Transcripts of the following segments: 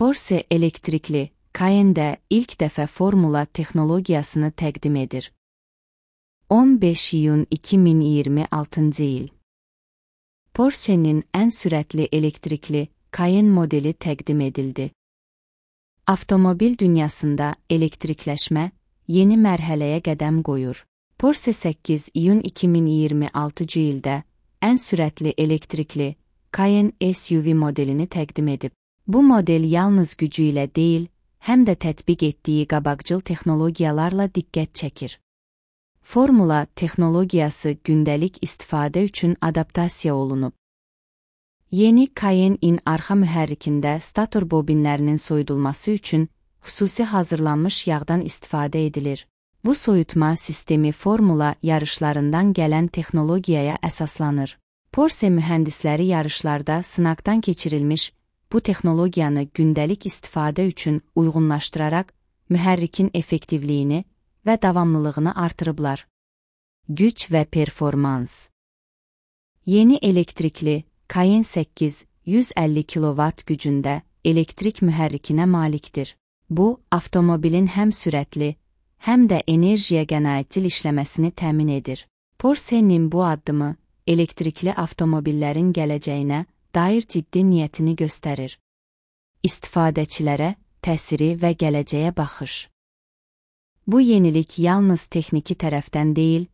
Porsche elektrikli Cayenne ilk dəfə formula texnologiyasını təqdim edir. 15 iyun 2026 il. Porsche'nin ən sürətli elektrikli Cayenne modeli təqdim edildi. Avtomobil dünyasında elektrikləşmə yeni mərhələyə qədəm qoyur. Porsche 8 iyun 2026 ildə ən sürətli elektrikli Cayenne SUV modelini təqdim edib. Bu model yalnız gücü ilə deyil, həm də tətbiq etdiyi qabaqcıl texnologiyalarla diqqət çəkir. Formula texnologiyası gündəlik istifadə üçün adaptasiya olunub. Yeni Cayenne-in arxa mühərrikində stator bobinlərinin soyudulması üçün xüsusi hazırlanmış yağdan istifadə edilir. Bu soyutma sistemi formula yarışlarından gələn texnologiyaya əsaslanır. Porsche mühəndisləri yarışlarda sınaqdan keçirilmiş bu texnologiyanı gündəlik istifadə üçün uyğunlaşdıraraq mühərrikin effektivliyini və davamlılığını artırıblar. Güc və performans. Yeni elektrikli Cayenne 8 150 kW gücündə elektrik mühərrikinə malikdir. Bu, avtomobilin həm sürətli, həm də enerjiyə qənaətcil işləməsini təmin edir. Porsche'nin bu addımı elektrikli avtomobillərin gələcəyinə dair ciddi niyyətini göstərir. İstifadəçilərə təsiri və gələcəyə baxış. Bu yenilik yalnız texniki tərəfdən deyil,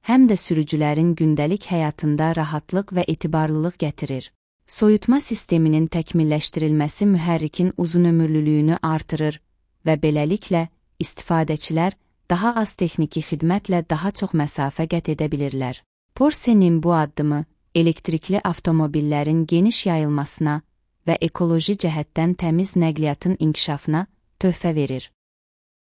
həm də sürücülərin gündəlik həyatında rahatlıq və etibarlılıq gətirir. Soyutma sisteminin təkmilləşdirilməsi mühərrikin uzunömürlülüyünü artırır və beləliklə istifadəçilər daha az texniki xidmətlə daha çox məsafə qət edə bilirlər. Porsche'nin bu addımı elektrikli avtomobillərin geniş yayılmasına və ekoloji cəhətdən təmiz nəqliyyatın inkişafına töhfə verir.